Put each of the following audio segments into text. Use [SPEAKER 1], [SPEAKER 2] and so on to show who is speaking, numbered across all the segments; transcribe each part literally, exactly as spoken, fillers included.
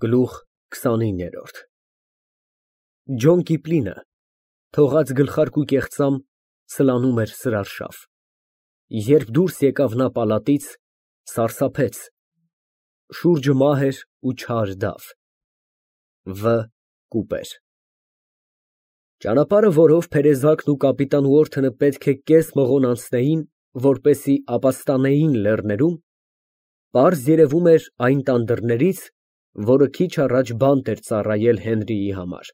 [SPEAKER 1] Գլուխ քսանիններորդ Ջոն Կիպլինը թողած գլխարկ ու կեղծամ սլանում էր սրարշավ, երբ դուրս եկավ նա պալատից, սարսափեց, շուրջը մահ էր ու չար դավ, Վ կուպեր։ Ճանապարհը, որով Փերեզակն ու կապիտան Ուորթոնը պետք է կես մղոն անցնեին, որպեսզի ապաստանեին լեռներում, պարզ երևում էր այն տան դռներից, որը քիչ առաջ բանտ էր ծառայել Հենրիի համար։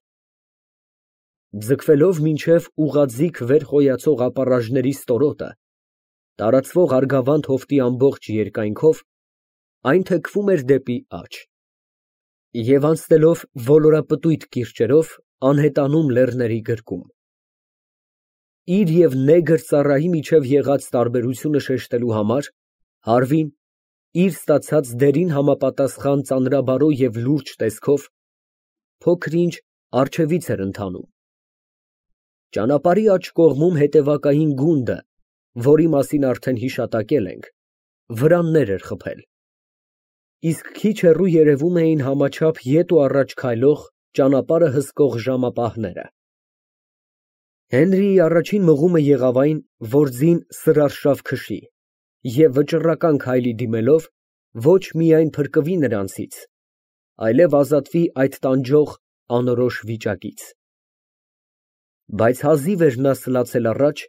[SPEAKER 1] Ձգվելով մինչև ուղղաձիգ վեր խոյացող ապառաժների ստորոտը, տարածվող Արգավանդ հովտի ամբողջ երկայնքով, այն թեքվում էր դեպի աջ, և անցնելով ոլորապտույտ կիրճերով, անհետանում լեռների գրկում։ Իր և նեգր ծառայի միջև եղած տարբերությունը շեշտելու համար, Հարվին, իր ստացած դերին համապատասխան ծանրաբարո և լուրջ տեսքով, փոքր֊ինչ առջևից էր ընթանում։ Ճանապարհի աջ կողմում հետևակային գունդը, որի մասին արդեն հիշատակել ենք, վրաններ էր խփել, իսկ քիչ հեռու երևում էին համաչափ ետ ու առաջ քայլող, ճանապարհը հսկող ժամապահները։ Հենրիի առաջին մղումը եղավ այն, որ ձին սրարշավ քշի և վճռական քայլի դիմելով, ոչ միայն փրկվի նրանցից, այլև ազատվի այդ տանջող անորոշ վիճակից։ Բայց հազիվ էր նա սլացել առաջ,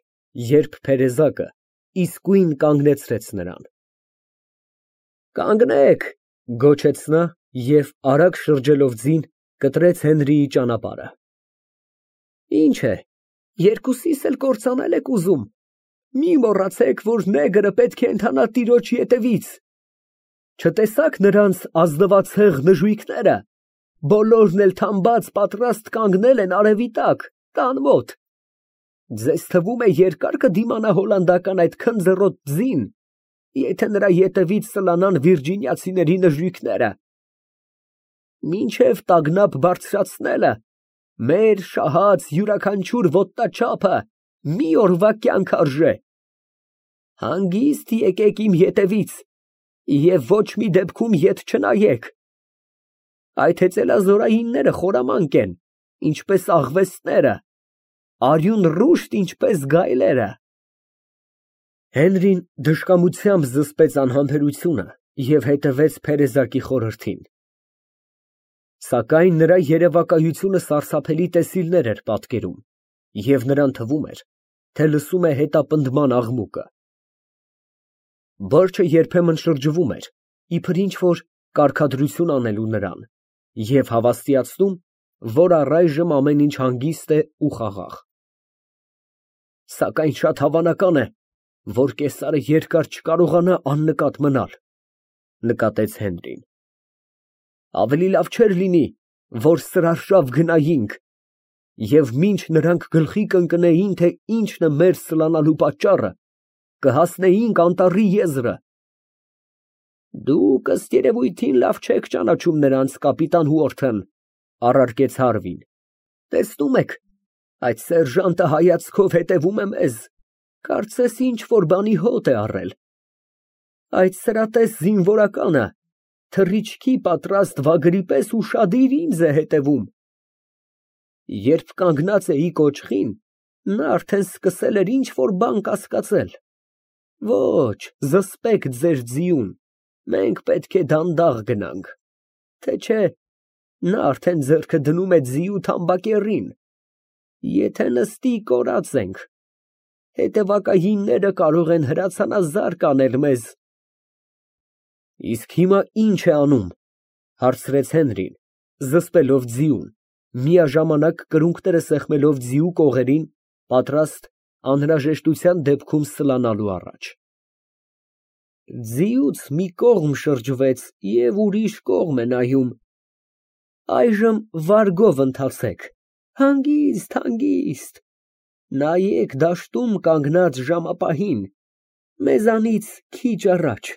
[SPEAKER 1] երբ Փերեզակը իսկույն կանգնեցրեց նրան։ «Կանգնեք», գոչեց նա և արագ շրջելով ձին, կտրեց Հենրիի ճանապարհը։ «Ի՞նչ է, երկուսիս էլ կործանել եք ուզում։ Մի մոռացեք, որ նեգրը պետք է ընթանա տիրոջ ետևից։ Չտեսա՞ք նրանց ազնվացեղ նժույգները, բոլորն էլ թամբած պատրաստ կանգնել են արևի տակ, տան մոտ։ Ձեզ թվում է երկա՞ր կդիմանա հոլանդական այդ քնձռոտ ձին, եթե նրա ետևից սլանան վիրջինիացիների նժույգները։ Մինչև տագնապ բարձրացնելը մեր շահած յուրաքանչյուր ոտնաչափը մի օրվա կյանք արժե։ Հանգիստ եկեք իմ ետևից և ոչ մի դեպքում ետ չնայեք։ Այդ հեծելազորայինները խորամանկ են, ինչպես աղվեսները, արյուն ռուշտ, ինչպես գայլերը»։ Հենրին դժկամությամբ զսպեց անհամբերությունը և հետևեց Փերեզակի խորհրդին։ Սակայն նրա երևակայությունը սարսափելի տեսիլներ էր պատկերում, և նրան թվում էր, թե լսում է հետապնդման աղմուկը։ Որջը երբեմն շրջվում էր, իբր ինչ֊որ կարգադրություն անելու նրան և հավաստիացնում, որ առայժմ ամեն ինչ հանգիստ է ու խաղաղ։ Սակայն շատ հավանական է, որ կեսարը երկար չկարողանա աննկատ մնալ, նկատեց Հենրին։ Ավելի լավ չէր լինի, որ սրարշավ գնայինք և մինչ նրանք գլխի կընկնեին, թե ինչն է մեր սլանալու պատճառը, կհասնեինք անտառի եզրը։ Դուք, ըստ երևույթին, լավ չեք ճանաչում նրանց, կապիտան Ուորթոն, առարկեց Հարվին։ Տեսնում եք, այդ սերժանտը հայացքով հետևում է մեզ, կարծես ինչ֊որ բանի հոտ է առել։ Այդ սրատես զինվորականը թռիչքի պատրաստ վագրի պես ուշադիր ինձ է հետևում։ Երբ կանգնած էի կոճղին, նա արդեն սկսել էր ինչ֊որ բան կասկածել։ Ոչ, զսպեք ձեր ձիուն, մենք պետք է դանդաղ գնանք, թե չէ նա արդեն ձեռքը դնում է ձիու թամբակեռին։ Եթե նստի, կորած ենք, հետևակայինները կարող են հրացանազարկ անել մեզ։ Իսկ հիմա ի՞նչ է անում, հարցրեց Հենրին, զսպելով ձիուն, միաժամանակ կրունկները սեղմելով ձիու կողերին, պատրաստ անհրաժեշտության դեպքում սլանալու առաջ։ Ձիուց մի կողմ շրջվեց և ուրիշ կողմ է նայում։ Այժմ վարգով ընթացեք, հանգիստ, հանգիստ, նայեք դաշտում կանգնած ժամապահին, մեզանից քիչ առաջ,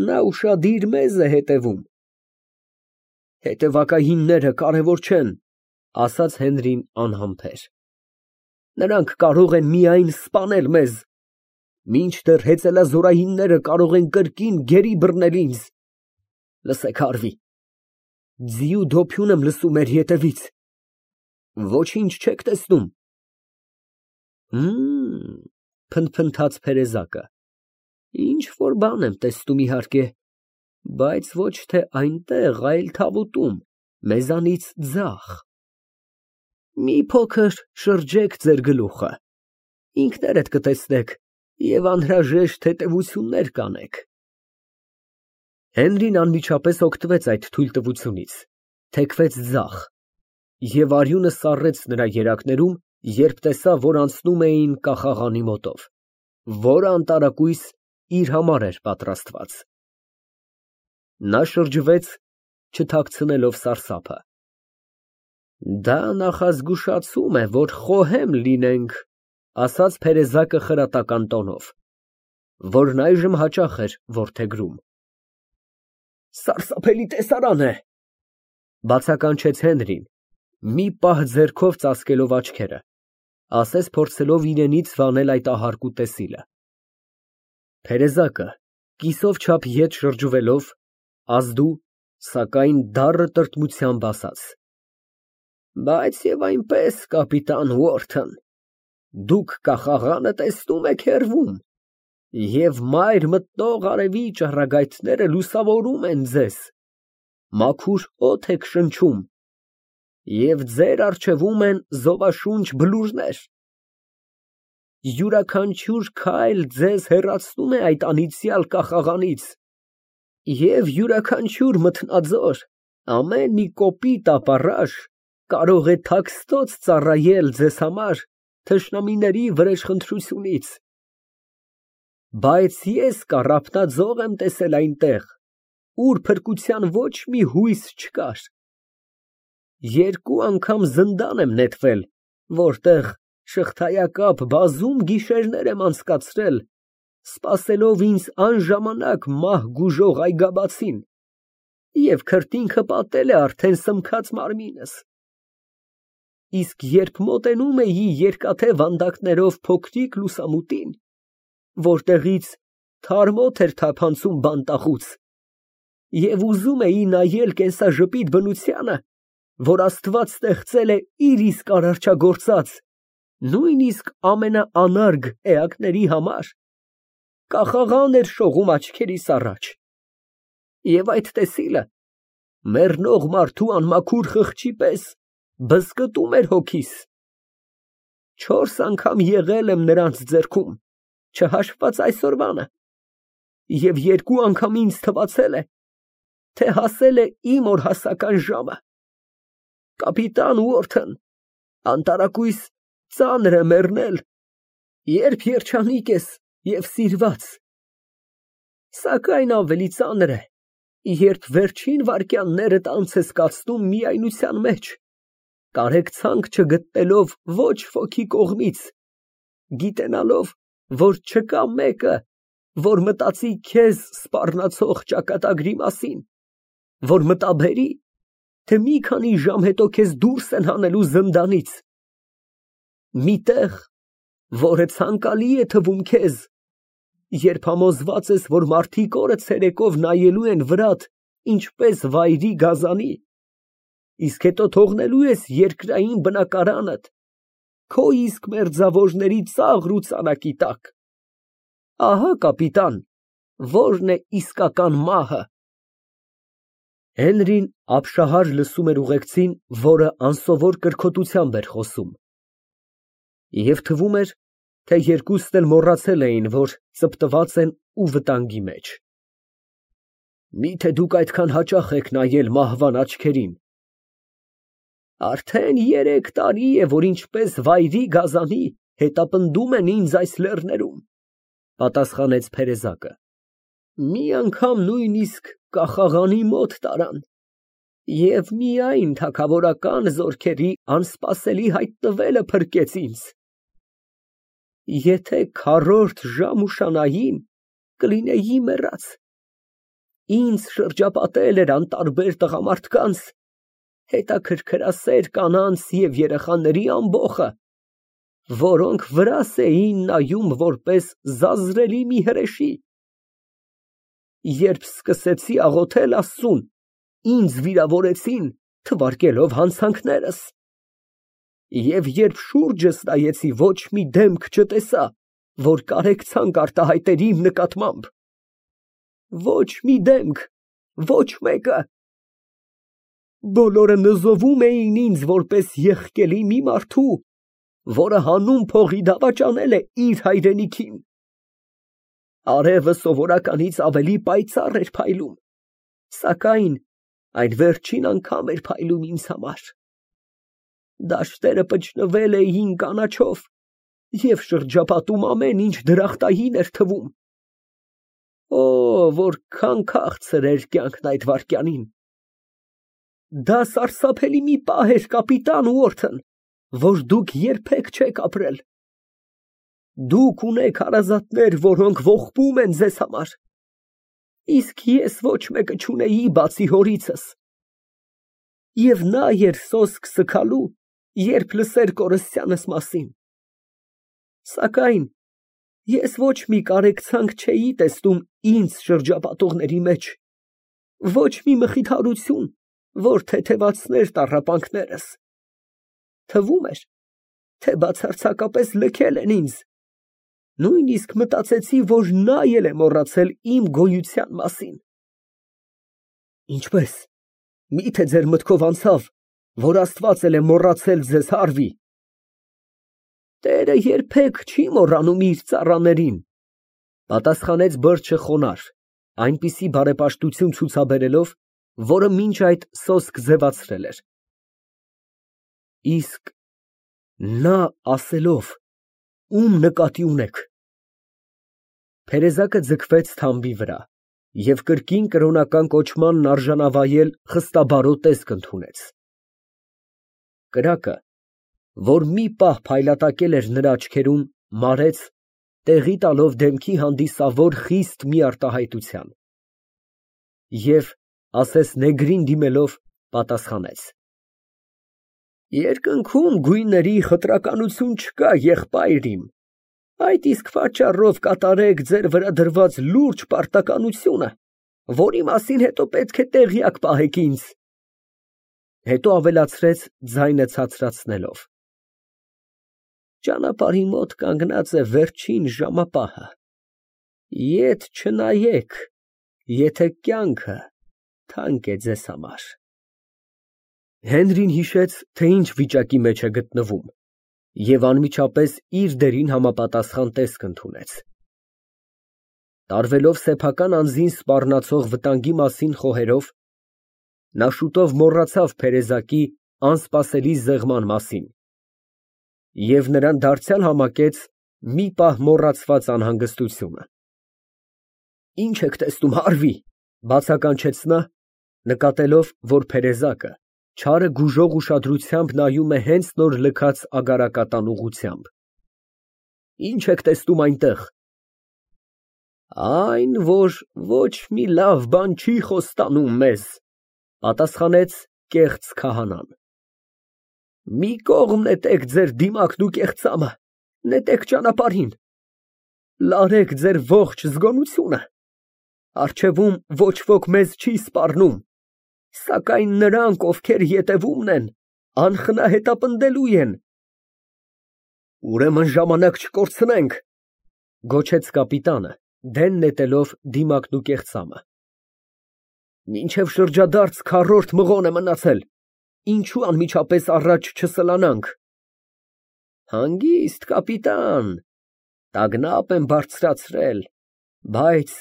[SPEAKER 1] նա ուշադիր մեզ է հետևում։ Հետևակայինները կարևոր չեն, ասաց Հենրին անհամբեր։ Նրանք կարող են միայն սպանել մեզ, մինչդեռ հեծելազորայինները կարող են կրկին գերի բռնել ինձ։ Լսեք, Հարվի, ձիու դոփյուն եմ լսում մեր ետևից։ Ոչինչ չեք տեսնում։ Հըմ, փնթփնթաց Փերեզակը, ինչ որ բան եմ տեսնում իհարկե, բայց ոչ թե այնտեղ, այլ թավուտում, մեզանից ձախ։ Մի փոքր շրջեք ձեր գլուխը, ինքներդ կտեսնեք և անհրաժեշտ հետևություններ կանեք։ Հենրին անմիջապես օգտվեց այդ թույլտվությունից, թեքվեց ձախ և արյունը սառեց նրա երակներում, երբ տեսավ, որ անցնում էին կախաղանի մոտով, որը անտարակույս իր համար էր պատրաստված։ Նա շրջվեց, չթաքցնելով սարսափը։ Դա նախազգուշացում է, որ խոհեմ լինենք, ասաց Փերեզակը խրատական տոնով, որն այժմ հաճախ էր որդեգրում։ Սարսափելի տեսարան է, բացականչեց Հենրին, մի պահ ձեռքով ծածկելով աչքերը, ասես փորձելով իրենից վանել այդ ահարկու տեսիլը։ Փերեզակը կիսով չափ ետ շրջվելով, ազդու, սակայն դառը տրտմությամբ ասաց. Բայց և այնպես, կապիտան Ուորթն, դուք կախաղանը տեսնում եք հեռվում, և մայր մտնող արևի ճառագայթները լուսավորում են ձեզ, մաքուր օդ եք շնչում, և ձեր առջևում են զովաշունչ բլուրներ, յուրաքանչյուր քայլ ձեզ հեռացնում է այդ անիծյալ կախաղանից, և յուրաքանչյուր մթնաձոր, ամեն մի կոպիտ ապառաշ կարող է թաքստոց ծառայել ձեզ համար թշնամիների վրեժխնդրությունից։ Բայց ես կառափնաձող եմ տեսել այնտեղ, ուր փրկության ոչ մի հույս չկար։ Երկու անգամ զնդան եմ նետվել, որտեղ շղթայակապ բազում գիշերներ եմ անցկացրել, սպասելով ինձ անժամանակ մահ գուժող այգաբացին, և քրտինքը պատել է արդեն սմքած մարմինս։ Իսկ երբ մոտենում էի երկաթե վանդակներով փոքրիկ լուսամուտին, որտեղից թարմոթ էր թափանցում բանտախուց, և ուզում էի նայել կենսաժպիտ բնությանը, որ Աստված ստեղծել է իր իսկ արարչագործած, նույնիսկ ամենաանարգ էակների համար, կախաղան էր շողում աչքերիս առաջ, և այդ տեսիլը մեռնող մարդու անմաքուր խղճի պես բզկտում էր հոգիս։ Չորս անգամ եղել եմ նրանց ձեռքում, չհաշված այսօրվանը, և երկու անգամ ինձ թվացել է, թե հասել է իմ օրհասական ժամը։ Կապիտան Ուորթն, անտարակույս ծանր է մեռնել, երբ երջանիկ ես և սիրված, սակայն ավելի ծանր է, երբ վերջին վայրկյաններդ անց ես կացնում միայնության մեջ, կարեկցանք չգտնելով ոչ ոքի կողմից, գիտենալով, որ չկա մեկը, որ մտածի քեզ սպառնացող ճակատագրի մասին, որ մտաբերի, թե մի քանի ժամ հետո քեզ դուրս են հանելու զնդանից, մի տեղ, որը ցանկալի է թվում քեզ, երբ համոզված ես, որ մարդիկ օրը ցերեկով նայելու են վրատ, ինչպես վայրի գազանի, իսկ հետո թողնելու ես երկրային բնակարանդ, քո իսկ մերձավորների ծաղր ու ծանակի տակ։ Ահա, կապիտան, որն է իսկական մահը։ Հենրին ապշահար լսում էր ուղեկցին, որը անսովոր կրքոտությամբ էր խոսում, և թվում էր, թե երկուսն էլ մոռացել էին, որ ծպտված են ու վտանգի մեջ։ Միթե դուք այդքան հաճախ եք նայել մահվան աչքերին։ Արդեն երեք տարի է, որ ինչպես վայրի գազանի հետապնդում են ինձ այս լեռներում, պատասխանեց Փերեզակը, մի անգամ նույնիսկ կախաղանի մոտ տարան, և միայն թագավորական զորքերի անսպասելի հայտնվելը փրկեց ինձ։ Եթե քառորդ ժամ ուշանային, կլինեի մեռած։ Ինձ շրջապատել էր անտարբեր տղամարդկանց, հետաքրքրասեր կանանց և երեխաների ամբոխը, որոնք վրաս էին նայում որպես զազրելի մի հրեշի։ Երբ սկսեցի աղոթել Աստծուն, ինձ վիրավորեցին, թվարկելով հանցանքներս։ Եվ երբ շուրջս նայեցի, ոչ մի դեմք չտեսա, որ կարեկցանք արտահայտեր իմ նկատմամբ, ոչ մի դեմք, ոչ մեկը։ Բոլորը նզովում էին ինձ որպես եղկելի մի մարդու, որը հանուն փողի դավաճանել է իր հայրենիքին։ Արևը սովորականից ավելի պայծառ էր փայլում, սակայն այն վերջին անգամ էր փայլում ինձ համար։ Դաշտերը պճնվել էին կանաչով և շրջապատում ամեն ինչ դրախտային էր թվում։ Օ, որքան քաղցր էր կյանքն այդ վայրկյանին։ Դա սարսափելի մի պահ էր, կապիտան Ուորթն, որ դուք երբեք չեք ապրել։ Դուք ունեք հարազատներ, որոնք ողբում են ձեզ համար, իսկ ես ոչ մեկը չունեի բացի հորիցս։ Եվ նա էր սոսկ սգալու, երբ լսեր կորստյանս մասին։ Սակայն ես ոչ մի կարեկցանք չէի տեսնում ինձ շրջապատողների մեջ, ոչ մի մխիթարություն, որ թեթևացներ տառապանքներս։ Թվում էր, թե բացարձակապես լքել են ինձ, նույնիսկ մտածեցի, որ նա էլ է մոռացել իմ գոյության մասին։ Ինչպե՞ս, միթե ձեր մտքով անցավ, որ Աստված էլ է մոռացել ձեզ, Հարվի։ Տերը երբեք չի մոռանում իր ծառաներին, պատասխանեց բրջը խոնարհ, այնպիսի բարեպաշտություն ցուցաբերելով, որը մինչ այդ սոսկ ձևացրել էր։ Իսկ նա ասելով, ում նկատի ունեք։ Փերեզակը ձգվեց թամբի վրա և կրկին կրոնական կոչմանն արժանավայել խստաբարո տեսք ընդունեց։ Կրակը, որ մի պահ փայլատակել էր նրա աչքերում, մարեց, տեղի տալով դեմքի հանդիսավոր խիստ մի արտահայտության։ Եվ, ասես նեգրին դիմելով, պատասխանեց. Երկնքում գույների խտրականություն չկա, եղբայր իմ, այդ իսկ պատճառով կատարեք ձեր վրա դրված լուրջ պարտականությունը, որի մասին հետո պետք է տեղյակ պահեք ինձ։ Հետո ավելացրեց ձայնը ցածրացնելով. Ճանապարհի մոտ կանգնած է վերջին ժամապահը, ետ չնայեք, եթե կյանքը թանկ է ձեզ համար։ Հենրին հիշեց, թե ինչ վիճակի մեջ է գտնվում, և անմիջապես իր դերին համապատասխան տեսք ընդունեց։ Տարվելով սեփական անձին սպառնացող վտանգի մասին խոհերով, նա շուտով մոռացավ Փերեզակի անսպասելի զեղման մասին և նրան դարձյալ համակեց մի պահ մոռացված անհանգստությունը։ Ի՞նչ եք տեսնում, Հարվի, բացականչեց նա, նկատելով, որ Փերեզակը չարը գուժող ուշադրությամբ նայում է հենց նոր լքած ագարակատան ուղղությամբ։ Ի՞նչ եք տեսնում այնտեղ։ Այն, որ ոչ մի լավ բան չի խոստանում մեզ, պատասխանեց կեղծ քահանան։ Մի կողմ նետեք ձեր դիմակն ու կեղծամը, նետեք ճանապարհին, լարեք ձեր ողջ զգոնությունը, առջևում ոչ ոք մեզ չի սպառնում, սակայն նրանք, ովքեր ետևումն են, անխնահետապնդելու են։ Ուրեմն ժամանակ չկորցնենք, գոչեց կապիտանը, դեն նետելով դիմակն ու կեղծամը։ Մինչև շրջադարձ քառորդ մղոն է մնացել, ինչու անմիջապես առաջ չսլանանք։ Հանգիստ, կապիտան, տագնապ եմ բարձրացրել, բայց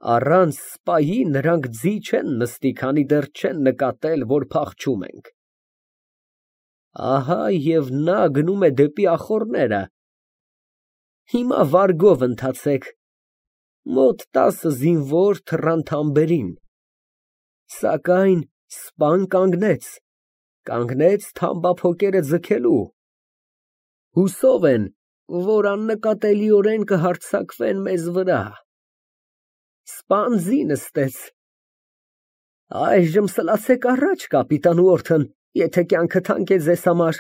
[SPEAKER 1] առանց սպայի նրանք ձի չեն նստի, քանի դեռ չեն նկատել, որ փախչում ենք։ Ահա և նա գնում է դեպի ախոռները։ Հիմա վարգով ընթացեք, մոտ տասը զինվոր թռան թամբերին, սակայն սպան կանգնեց, կանգնեց թամբափոկերը ձգելու։ Հուսով են, որ աննկատելիորեն կհարձակվեն մեզ վրա։ Սպան ձի նստեց։ Այժմ սլացեք առաջ, կապիտան Ուորթն, եթե կյանքը թանկ է ձեզ համար,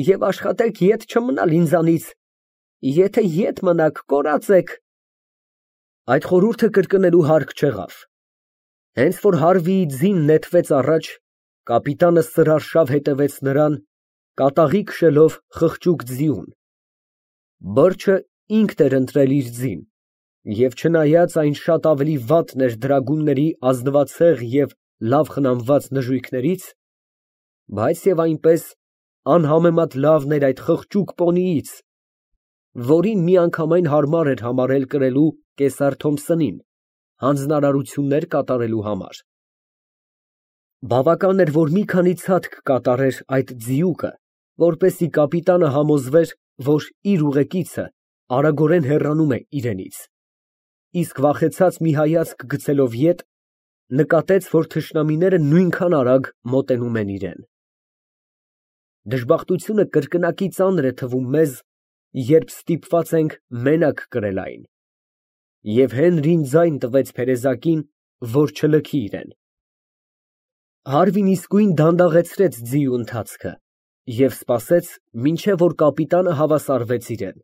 [SPEAKER 1] և աշխատեք ետ չմնալ ինձանից, եթե ետ մնաք, կորած եք։ Այդ խորհուրդը կրկնելու հարկ չեղավ։ Հենց որ Հարվիի ձին նետվեց առաջ, կապիտանը սրարշավ հետևեց նրան, կատաղի քշելով խղճուկ ձիուն. բրջը ինքն էր ընտրել իր ձին, և չնայած այն շատ ավելի վատն էր դրագունների ազնվացեղ և լավ խնամված նժույգներից, բայց և այնպես անհամեմատ լավն էր այդ խղճուկ պոնիից, որին միանգամայն հարմար էր համարել կրելու կեսար Թոմփսոնին հանձնարարություններ կատարելու համար։ Բավական էր, որ մի քանի ցատկ կատարեր այդ ձիուկը, որպեսզի կապիտանը համոզվեր, որ իր ուղեկիցը արագորեն հեռանում է իրենից, իսկ վախեցած մի հայացք գցելով ետ, նկատեց, որ թշնամիները նույնքան արագ մոտենում են իրան։ Դժբախտությունը կրկնակի ծանր է թվում մեզ, երբ ստիպված ենք մենակ կրել այն, և Հենրին ձայն տվեց փերեզակին, որ չլքի իրան։ Հարվին իսկույն դանդաղեցրեց ձիու ընթացքը և սպասեց, մինչև որ կապիտանը հավասարվեց իրան։